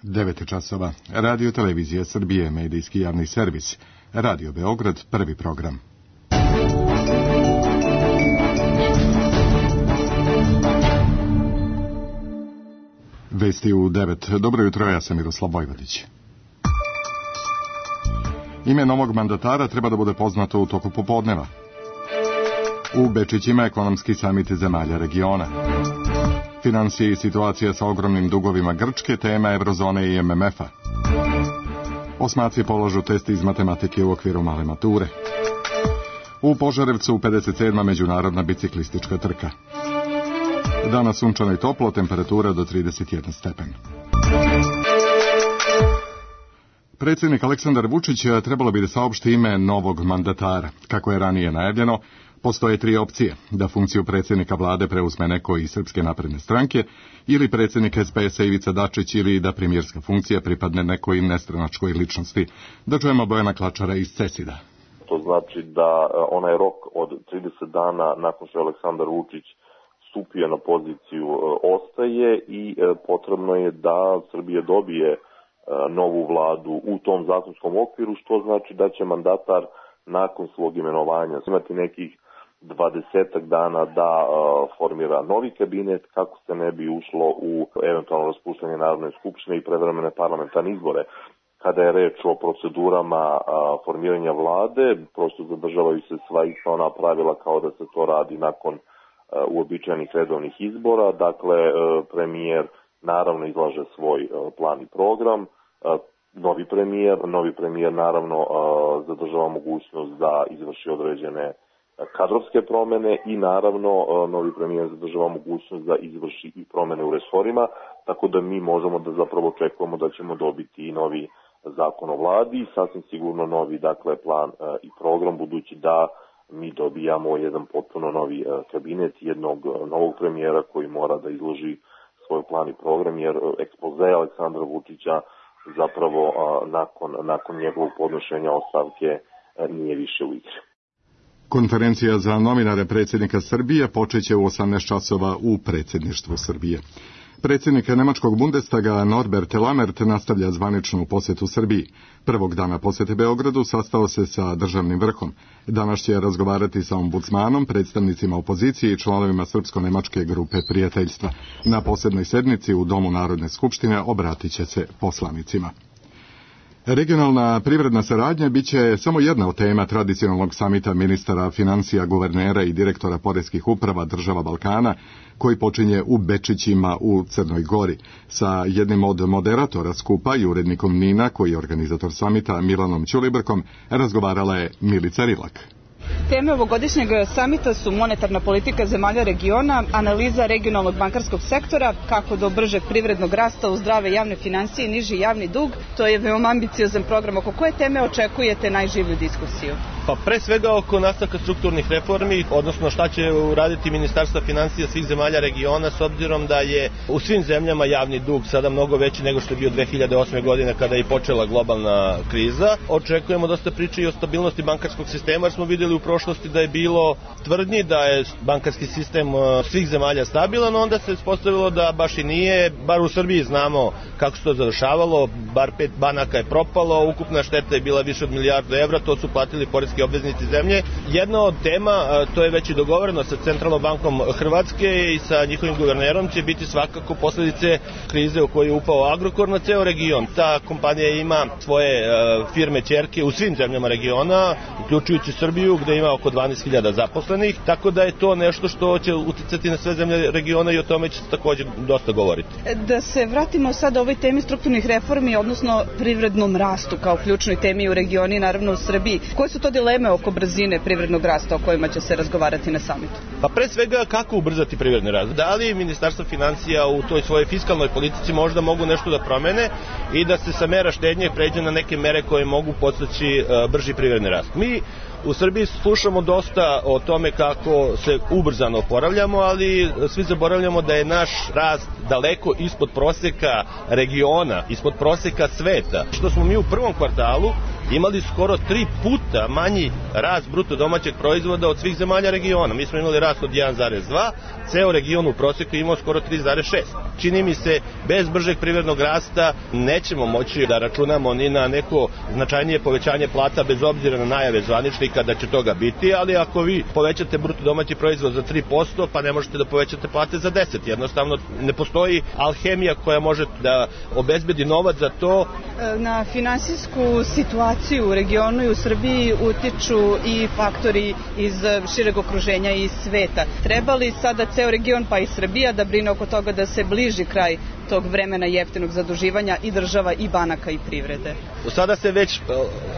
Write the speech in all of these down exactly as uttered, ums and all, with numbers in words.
devet časova. Radio Televizija Srbije, medijski javni servis. Radio Beograd, prvi program. Vesti u devet. Dobro jutro, ja sam Miroslav Vojvodić. Ime novog mandatara treba da bude poznato u toku popodneva. U Bečićima ekonomski samit zemalja regiona. Finansije i situacija sa ogromnim dugovima Grčke, tema Eurozone i M M F-a. Osmaci polažu test iz matematike u okviru male mature. U Požarevcu pedeset sedma međunarodna biciklistička trka. Danas sunčano i toplo, temperatura do trideset jedan stepen. Predsjednik Aleksandar Vučić trebalo bi da saopšti ime novog mandatara. Kako je ranije najavljeno, postoje tri opcije: da funkciju predsjednika vlade preuzme neko iz Srpske napredne stranke, ili predsjednik S P S-a Ivica Dačić, ili da premijerska funkcija pripadne nekoj nestranačkoj ličnosti. Da čujemo Bojana Klačara iz Cesida. To znači da onaj rok od trideset dana nakon što je Aleksandar Vučić stupio na poziciju ostaje i potrebno je da Srbija dobije novu vladu u tom zakonskom okviru, što znači da će mandatar nakon svog imenovanja imati nekih dvadesetak dana da uh, formira novi kabinet kako se ne bi ušlo u eventualno raspuštanje Narodne skupštine i prevremene parlamentarne izbore. Kada je reč o procedurama uh, formiranja vlade, prosto zadržavaju se sva ista ona pravila kao da se to radi nakon uh, uobičajenih redovnih izbora. Dakle, uh, premijer naravno izlaže svoj uh, plan i program. Uh, Novi premijer, novi premijer naravno uh, zadržava mogućnost da izvrši određene kadrovske promene i naravno uh, novi premijer zadržava mogućnost da izvrši i promene u resorima, tako da mi možemo da zapravo očekujemo da ćemo dobiti i novi zakon o vladi i sasvim sigurno novi dakle plan uh, i program, budući da mi dobijamo jedan potpuno novi uh, kabinet, jednog uh, novog premijera koji mora da izloži svoj plan i program, jer uh, ekspoze Aleksandra Vučića zapravo a, nakon, nakon njegovog podnošenja ostavke a, nije više u igri. Konferencija za novinare predsjednika Srbije počeće u osamnaest časova u predsjedništvu Srbije. Predsjednik nemačkog Bundestaga Norbert Lammert nastavlja zvaničnu posjetu Srbiji. Prvog dana posjete Beogradu sastao se sa državnim vrhom. Danas će razgovarati sa ombudsmanom, predstavnicima opozicije i članovima srpsko-nemačke grupe prijateljstva. Na posebnoj sednici u Domu Narodne skupštine obratit će se poslanicima. Regionalna privredna saradnja biće samo jedna od tema tradicionalnog samita ministara financija, guvernera i direktora poreskih uprava država Balkana, koji počinje u Bečićima u Crnoj Gori. Sa jednim od moderatora skupa i urednikom Nina, koji je organizator samita, Milanom Ćulibrkom, razgovarala je Milica Rilak. Teme ovogodišnjeg samita su monetarna politika zemalja regiona, analiza regionalnog bankarskog sektora, kako do bržeg privrednog rasta u zdrave javne financije i niži javni dug. To je veoma ambiciozan program. Oko koje teme očekujete najživlju diskusiju? Pa pre svega oko nastavka strukturnih reformi, odnosno šta će uraditi Ministarstva financija svih zemalja regiona, s obzirom da je u svim zemljama javni dug sada mnogo veći nego što je bio dve hiljade osme. godine kada je počela globalna kriza. Očekujemo dosta priče i o stabilnosti bankarskog sistema, jer smo vidjeli u prošlosti da je bilo tvrdnji da je bankarski sistem svih zemalja stabilan, onda se ispostavilo da baš i nije. Bar u Srbiji znamo kako se to završavalo, bar pet banaka je propalo, ukupna šteta je bila više od milijardu evra, to su platili poreski obveznici zemlje. Jedna od tema, to je već i dogovoreno sa Centralnom bankom Hrvatske i sa njihovim guvernerom, će biti svakako posljedice krize u kojoj je upao Agrokor na ceo region. Ta kompanija ima svoje firme ćerke u svim zemljama regiona, uključujući Srbiju, gde ima oko dvanaest hiljada zaposlenih, tako da je to nešto što će uticati na sve zemlje regiona i o tome će se također dosta govoriti. Da se vratimo sad o ovoj temi strukturnih reformi, odnosno privrednom rastu kao ključnoj temi u regionu i naravno u Srbiji. Koje su to dileme oko brzine privrednog rasta o kojima će se razgovarati na samitu? Pa pre svega kako ubrzati privredni rast? Da li Ministarstvo financija u toj svojoj fiskalnoj politici možda mogu nešto da promene i da se sa mera štednje pređe na neke mere koje mogu podstaći brži privredni rast? Mi u Srbiji slušamo dosta o tome kako se ubrzano oporavljamo, ali svi zaboravljamo da je naš rast daleko ispod proseka regiona, ispod proseka sveta. Što smo mi u prvom kvartalu imali skoro tri puta manji rast bruto domaćeg proizvoda od svih zemalja regiona. Mi smo imali rast od jedan zarez dva, ceo region u proseku imao skoro tri zarez šest. Čini mi se, bez bržeg privrednog rasta nećemo moći da računamo ni na neko značajnije povećanje plata, bez obzira na najave zvaničnika da će toga biti, ali ako vi povećate bruto domaći proizvod za tri posto, pa ne možete da povećate plate za deset. Jednostavno ne postoji alhemija koja može da obezbedi novac za to. Na finansijsku situaciju u regionu i u Srbiji utiču i faktori iz šireg okruženja i sveta. Treba li sada ceo region, pa i Srbija, da brine oko toga da se bliži kraj tog vremena jeftinog zaduživanja i država i banaka i privrede? Sada se već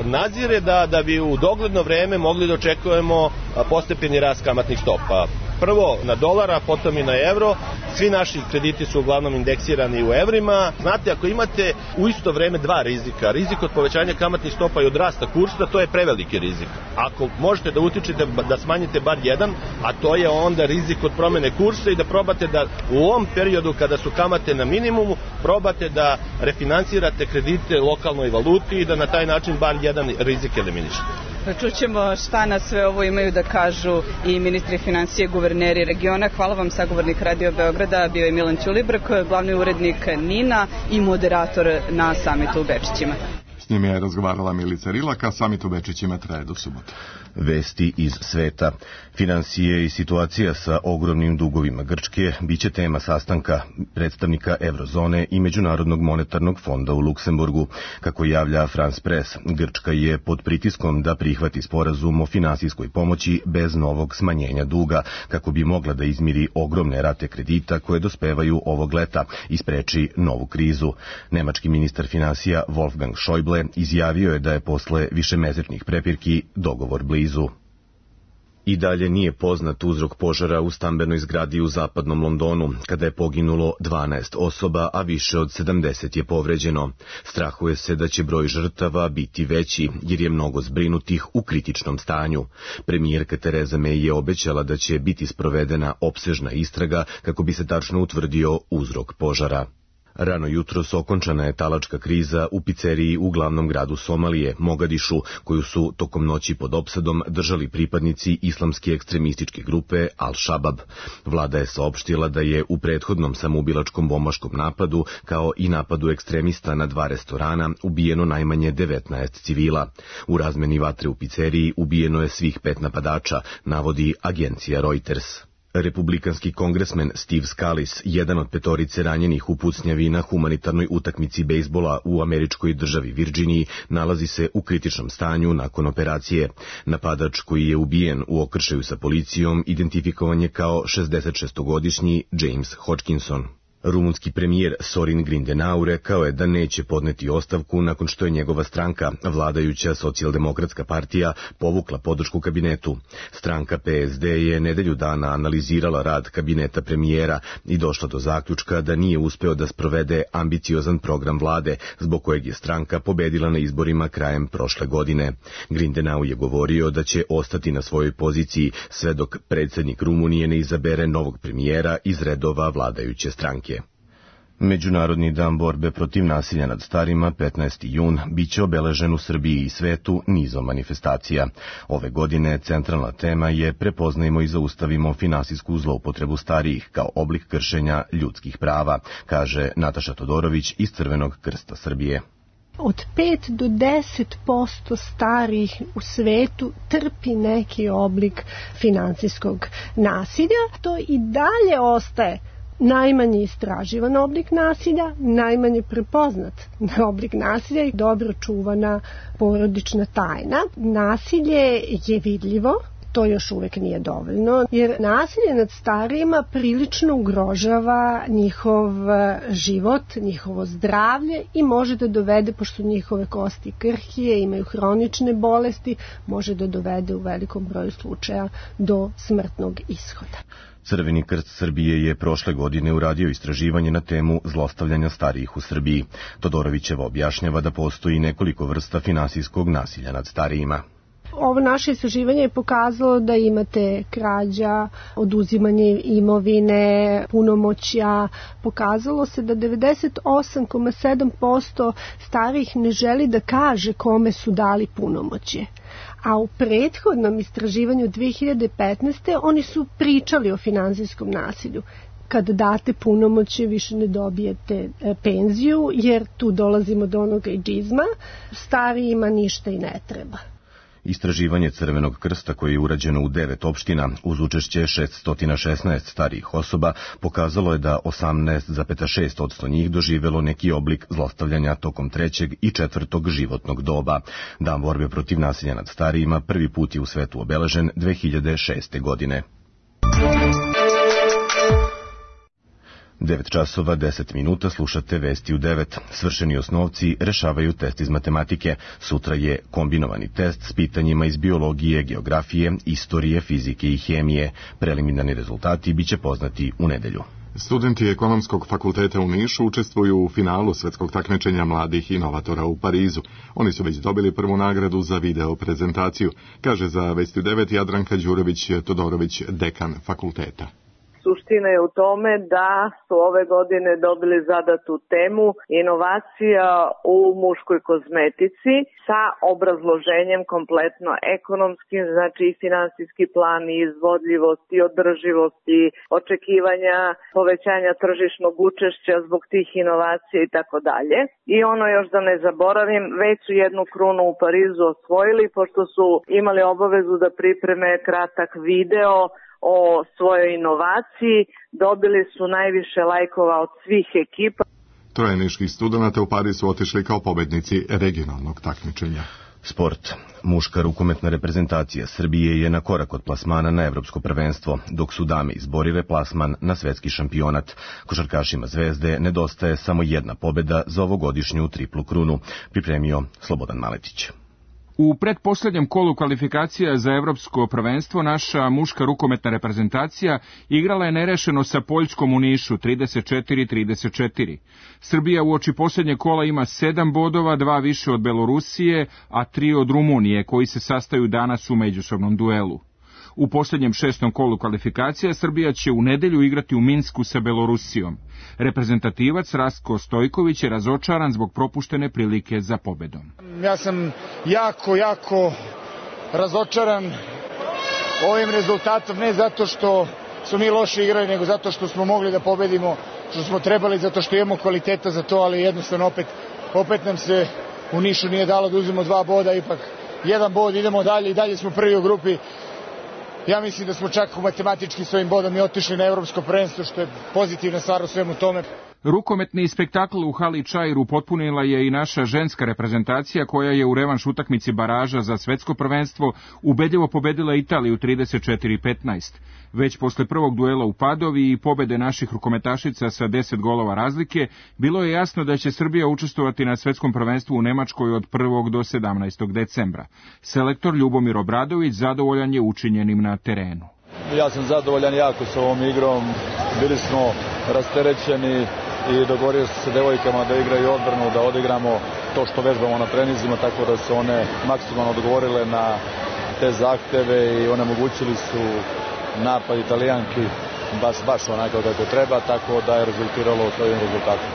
nazire da, da bi u dogledno vreme mogli da očekujemo postepeni rast kamatnih stopa. Prvo na dolara, potom i na evro. Svi naši krediti su uglavnom indeksirani u evrima. Znate, ako imate u isto vreme dva rizika, rizik od povećanja kamatnih stopa i od rasta kursa, to je preveliki rizik. Ako možete da utičete da smanjite bar jedan, a to je onda rizik od promene kursa i da probate da u ovom periodu kada su kamate na minimumu, probate da refinansirate kredite lokalnoj valuti i da na taj način bar jedan rizik eliminišete. Čućemo šta na sve ovo imaju da kažu i ministri financije, guverneri regiona. Hvala vam, sagovornik Radio Beograda bio je Milan Ćulibrk, glavni urednik NIN-a i moderator na samitu u Bečićima. S njim je razgovarala Milica Rilak, a samit u Bečićima traje do subote. Vesti iz sveta. Finansije i situacija sa ogromnim dugovima Grčke biće tema sastanka predstavnika Eurozone i Međunarodnog monetarnog fonda u Luksemburgu. Kako javlja France Press, Grčka je pod pritiskom da prihvati sporazum o finansijskoj pomoći bez novog smanjenja duga, kako bi mogla da izmiri ogromne rate kredita koje dospevaju ovog leta i spreči novu krizu. Nemački ministar finansija Wolfgang Schäuble izjavio je da je posle višemesečnih prepirki dogovor blizu. I dalje nije poznat uzrok požara u stambenoj zgradi u zapadnom Londonu, kada je poginulo dvanaest osoba, a više od sedamdeset je povređeno. Strahuje se da će broj žrtava biti veći, jer je mnogo zbrinutih u kritičnom stanju. Premijerka Tereza May je obećala da će biti sprovedena opsežna istraga kako bi se tačno utvrdio uzrok požara. Rano jutros okončana je talačka kriza u piceriji u glavnom gradu Somalije, Mogadišu, koju su tokom noći pod opsadom držali pripadnici islamske ekstremističke grupe Al-Shabab. Vlada je saopštila da je u prethodnom samoubilačkom bombaškom napadu, kao i napadu ekstremista na dva restorana, ubijeno najmanje devetnaest civila. U razmeni vatre u piceriji ubijeno je svih pet napadača, navodi agencija Reuters. Republikanski kongresmen Steve Scalise, jedan od petorice ranjenih u pucnjavi na humanitarnoj utakmici bejsbola u američkoj državi Virginiji, nalazi se u kritičnom stanju nakon operacije. Napadač koji je ubijen u okršaju sa policijom identifikovan je kao šezdesetšestogodišnji James Hodgkinson. Rumunski premijer Sorin Grindenau rekao je da neće podneti ostavku nakon što je njegova stranka, vladajuća socijaldemokratska partija, povukla podršku kabinetu. Stranka P S D je nedelju dana analizirala rad kabineta premijera i došla do zaključka da nije uspeo da sprovede ambiciozan program vlade, zbog kojeg je stranka pobedila na izborima krajem prošle godine. Grindenau je govorio da će ostati na svojoj poziciji sve dok predsjednik Rumunije ne izabere novog premijera iz redova vladajuće stranke. Međunarodni dan borbe protiv nasilja nad starima, petnaesti jun, biće obeležen u Srbiji i svetu nizom manifestacija. Ove godine centralna tema je prepoznajmo i zaustavimo finansijsku zloupotrebu starijih kao oblik kršenja ljudskih prava, kaže Nataša Todorović iz Crvenog krsta Srbije. Od pet do deset posto starih u svetu trpi neki oblik finansijskog nasilja. To i dalje ostaje najmanje istraživan oblik nasilja, najmanje prepoznat oblik nasilja i dobro čuvana porodična tajna. Nasilje je vidljivo, to još uvek nije dovoljno, jer nasilje nad starijima prilično ugrožava njihov život, njihovo zdravlje i može da dovede, pošto njihove kosti krhije, imaju hronične bolesti, može da dovede u velikom broju slučaja do smrtnog ishoda. Crveni krst Srbije je prošle godine uradio istraživanje na temu zlostavljanja starijih u Srbiji. Todorovićeva objašnjava da postoji nekoliko vrsta finansijskog nasilja nad starijima. Ovo naše istraživanje je pokazalo da imate krađa, oduzimanje imovine, punomoćja. Pokazalo se da devedeset osam zarez sedam posto starih ne želi da kaže kome su dali punomoćje. A u prethodnom istraživanju dve hiljade petnaeste. oni su pričali o finansijskom nasilju. Kad date punomoćje više ne dobijete penziju, jer tu dolazimo do onog ejdžizma, starijima ništa i ne treba. Istraživanje Crvenog krsta koje je urađeno u devet opština uz učešće šesnaest šesnaest starijih osoba pokazalo je da osamnaest zarez šest posto njih doživelo neki oblik zlostavljanja tokom trećeg i četvrtog životnog doba. Dan borbe protiv nasilja nad starijima prvi put je u svetu obeležen dve hiljade šeste. godine. devet časova deset minuta, slušate Vesti u devet. Svršeni osnovci rešavaju test iz matematike. Sutra je kombinovani test s pitanjima iz biologije, geografije, istorije, fizike i hemije. Preliminarni rezultati biće poznati u nedelju. Studenti Ekonomskog fakulteta u Nišu učestvuju u finalu svetskog takmičenja mladih inovatora u Parizu. Oni su već dobili prvu nagradu za video prezentaciju, kaže za Vesti u devet Jadranka Đurović-Todorović, dekan fakulteta. Suština je u tome da su ove godine dobili zadatu temu inovacija u muškoj kozmetici sa obrazloženjem kompletno ekonomskim, znači i finansijski plan i izvodljivosti, održivosti, očekivanja povećanja tržišnog učešća zbog tih inovacija i tako dalje. I ono još da ne zaboravim, već su jednu krunu u Parizu osvojili pošto su imali obavezu da pripreme kratak video o svojoj inovaciji, dobili su najviše lajkova od svih ekipa. Troje niških studenata u Pariz su otišli kao pobednici regionalnog takmičenja. Sport. Muška rukometna reprezentacija Srbije je na korak od plasmana na evropsko prvenstvo, dok su dame izborile plasman na svetski šampionat. Košarkašima Zvezde nedostaje samo jedna pobeda za ovogodišnju triplu krunu, pripremio Slobodan Maletić. U pretposlednjem kolu kvalifikacija za evropsko prvenstvo naša muška rukometna reprezentacija igrala je nerešeno sa Poljskom u Nišu trideset četiri trideset četiri. Srbija uoči posljednje kola ima sedam bodova, dva više od Belorusije, a tri od Rumunije, koji se sastaju danas u međusobnom duelu. U posljednjem šestom kolu kvalifikacija Srbija će u nedelju igrati u Minsku sa Belorusijom. Reprezentativac Rastko Stojković je razočaran zbog propuštene prilike za pobedom. Ja sam jako, jako razočaran ovim rezultatom, ne zato što su mi loše igrali, nego zato što smo mogli da pobedimo, što smo trebali, zato što imamo kvaliteta za to, ali jednostavno opet, opet nam se u Nišu nije dalo da uzmemo dva boda, ipak jedan bod, idemo dalje i dalje smo prvi u grupi. Ja mislim da smo čak u matematički s ovim bodom i otišli na evropsko prvenstvo, što je pozitivna stvar u svemu tome. Rukometni spektakl u hali Čairu potpunila je i naša ženska reprezentacija koja je u revanš utakmici baraža za svetsko prvenstvo ubedljivo pobedila Italiju trideset četiri petnaest. Već posle prvog duela u Padovi i pobede naših rukometašica sa deset golova razlike, bilo je jasno da će Srbija učestvovati na svetskom prvenstvu u Nemačkoj od prvog do sedamnaestog decembra. Selektor Ljubomir Obradović zadovoljan je učinjenim na terenu. Ja sam zadovoljan jako s ovom igrom, bili smo rasterećeni i dogovorio se sa devojkama da igraju odbranu, da odigramo to što vežbamo na trenizima, tako da su one maksimalno odgovorile na te zahteve i onemogućili su napad Italijanki baš, baš onako kako treba, tako da je rezultiralo s ovim rezultatom.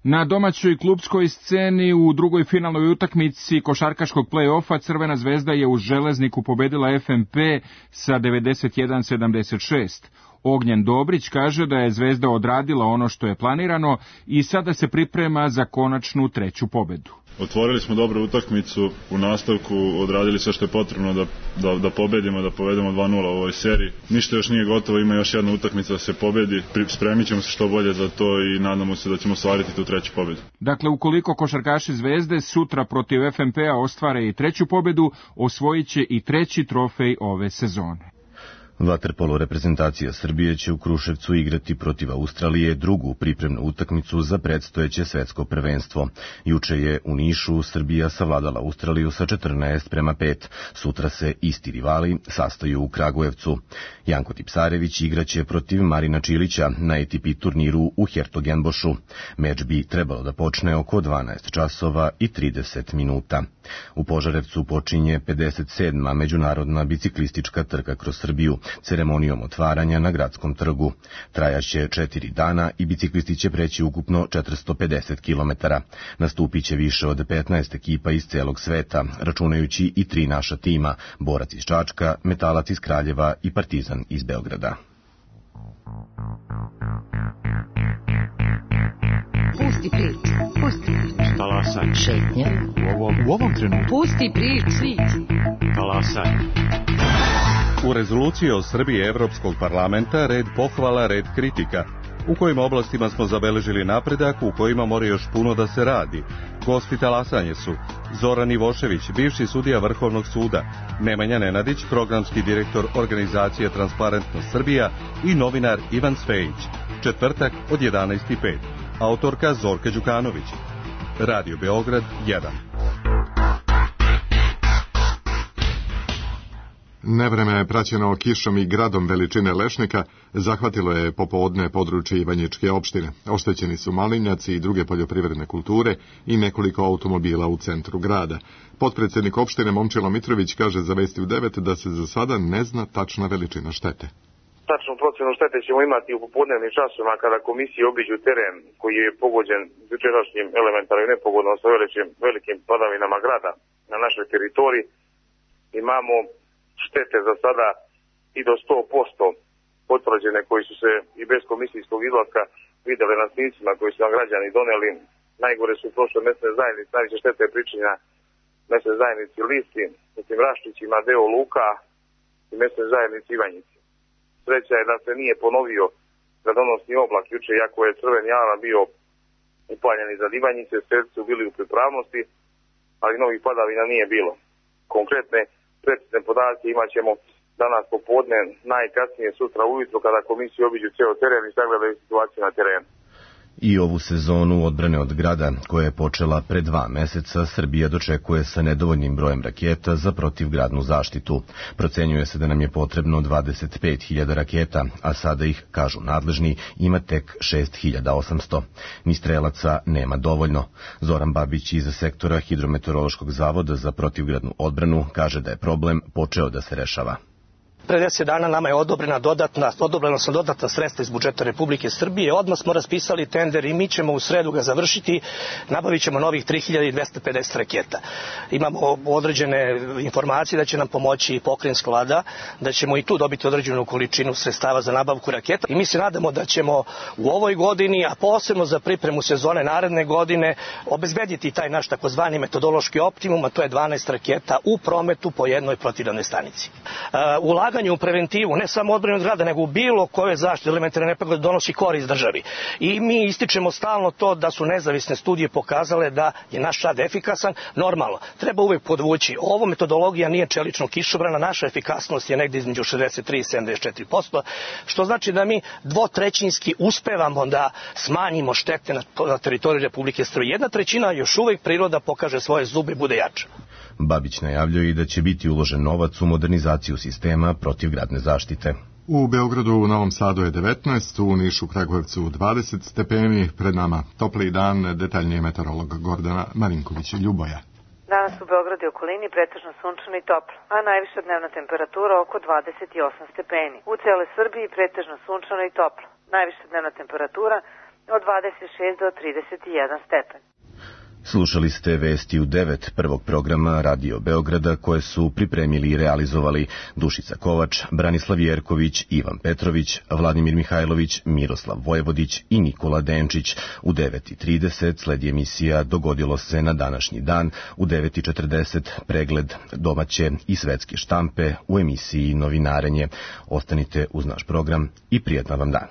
Na domaćoj klubskoj sceni u drugoj finalnoj utakmici košarkaškog play-offa Crvena zvezda je u Železniku pobedila F M P sa devedeset jedan sedamdeset šest. Ognjen Dobrić kaže da je Zvezda odradila ono što je planirano i sada se priprema za konačnu treću pobedu. Otvorili smo dobru utakmicu, u nastavku odradili sve što je potrebno da, da, da pobedimo, da povedemo dva nula u ovoj seriji. Ništa još nije gotovo, ima još jedna utakmica da se pobedi, spremit ćemo se što bolje za to i nadamo se da ćemo ostvariti tu treću pobedu. Dakle, ukoliko košarkaši Zvezde sutra protiv F M P-a ostvare i treću pobedu, osvojit će i treći trofej ove sezone. Vaterpolo reprezentacija Srbije će u Kruševcu igrati protiv Australije drugu pripremnu utakmicu za predstojeće svetsko prvenstvo. Juče je u Nišu Srbija savladala Australiju sa četrnaest prema pet. Sutra se isti rivali sastaju u Kragujevcu. Janko Tipsarević igraće protiv Marina Čilića na A T P turniru u Hertogenbošu. Meč bi trebalo da počne oko dvanaest časova i trideset minuta. U Požarevcu počinje pedeset sedma međunarodna biciklistička trka kroz Srbiju, ceremonijom otvaranja na Gradskom trgu. Trajaće četiri dana i biciklisti će preći ukupno četiristo pedeset kilometara. Nastupit će više od petnaest ekipa iz celog sveta, računajući i tri naša tima, Borac iz Čačka, Metalac iz Kraljeva i Partizan iz Beograda. Pusti priču, pusti priču. Talasaj. Šetnje. U ovom, u ovom trenutku. Pusti priču. Talasaj. U rezoluciji o Srbiji Evropskog parlamenta red pohvala, red kritika. U kojim oblastima smo zabeležili napredak, u kojima mora još puno da se radi. Gosti talasanje su Zoran Ivošević, bivši sudija Vrhovnog suda, Nemanja Nenadić, programski direktor organizacije Transparentnost Srbija i novinar Ivan Cvejić. Četvrtak od jedanaest i pet. Autorka Zorka Đukanović. Radio Beograd jedan. Nevreme je praćeno kišom i gradom veličine lešnika, zahvatilo je popodne područje Ivanjičke opštine. Oštećeni su malinjaci i druge poljoprivredne kulture i nekoliko automobila u centru grada. Potpredsednik opštine Momčilo Mitrović kaže za Vesti u devet da se za sada ne zna tačna veličina štete. Tačnu procenu štete ćemo imati u popodnevnim časovima kada komisije obiđu teren koji je pogođen jučerašnjim elementarnim nepogodom sa velikim, velikim padavinama grada na našoj teritoriji. Imamo štete za sada i do sto posto potvrđene koji su se i bez komisijskog izlaska vidjeli na snimcima koji su nam građani doneli. Najgore su prošle mesne zajednice, najviše štete je pričinja mesne zajednici Listi, međutim Raščićima, deo Luka i mesne zajednici Ivanjici. Sreća je da se nije ponovio gradonosni oblak juče, iako je crveni alarm bio upaljen iznad Ivanjice, strelci su bili u pripravnosti, ali novih padavina nije bilo. Konkretne precizne podatke imat ćemo danas popodne, najkasnije sutra ujutro kada komisije obiđu ceo teren i sagledaju situaciju na terenu. I ovu sezonu odbrane od grada, koja je počela pre dva meseca, Srbija dočekuje sa nedovoljnim brojem raketa za protivgradnu zaštitu. Procenjuje se da nam je potrebno dvadeset pet hiljada raketa, a sada ih, kažu nadležni, ima tek šest hiljada osamsto. Ni strelaca nema dovoljno. Zoran Babić iz sektora Hidrometeorološkog zavoda za protivgradnu odbranu kaže da je problem počeo da se rešava. Pre deset dana nama je odobrena dodatna, odobrena su dodatna sredstva iz budžeta Republike Srbije. Odmah smo raspisali tender i mi ćemo u sredu ga završiti. Nabavit ćemo novih tri hiljade dvesta pedeset raketa. Imamo određene informacije da će nam pomoći pokrajinska vlada, da ćemo i tu dobiti određenu količinu sredstava za nabavku raketa. I mi se nadamo da ćemo u ovoj godini, a posebno za pripremu sezone naredne godine, obezbediti taj naš takozvani metodološki optimum, a to je dvanaest raketa u prometu po jednoj protivgradnoj stanici. Uh, ulaganje u preventivu, ne samo odbrane od grada, nego u bilo koje zaštite elementarne nepogode donosi korist državi. I mi ističemo stalno to da su nezavisne studije pokazale da je naš rad efikasan. Normalno, treba uvek podvući. Ovo metodologija nije čelično kišobrana, naša efikasnost je negde između šezdeset tri i sedamdeset četiri posto, što znači da mi dvotrećinski uspevamo da smanjimo štete na, na teritoriji Republike Srbije. Jedna trećina još uvek priroda pokaže svoje zube i bude jača. Babić najavljuje i da će biti uložen novac u modernizaciju sistema protivgradne zaštite. U Beogradu, u Novom Sadu je devetnaest, u Nišu, Kragujevcu dvadeset stepeni, pred nama topli dan, detaljnije meteorolog Gordana Marinković-Ljuboja. Danas u Beogradu i okolini pretežno sunčano i toplo, a najviša dnevna temperatura oko dvadeset osam stepeni. U celoj Srbiji pretežno sunčano i toplo, najviša dnevna temperatura od dvadeset šest do trideset jedan stepen. Slušali ste Vesti u devet prvog programa Radio Beograda koje su pripremili i realizovali Dušica Kovač, Branislav Jerković, Ivan Petrović, Vladimir Mihajlović, Miroslav Vojvodić i Nikola Denčić. U devet i trideset sledi emisija Dogodilo se na današnji dan, u devet i četrdeset pregled domaće i svetske štampe u emisiji Novinarenje. Ostanite uz naš program i prijatna vam dan.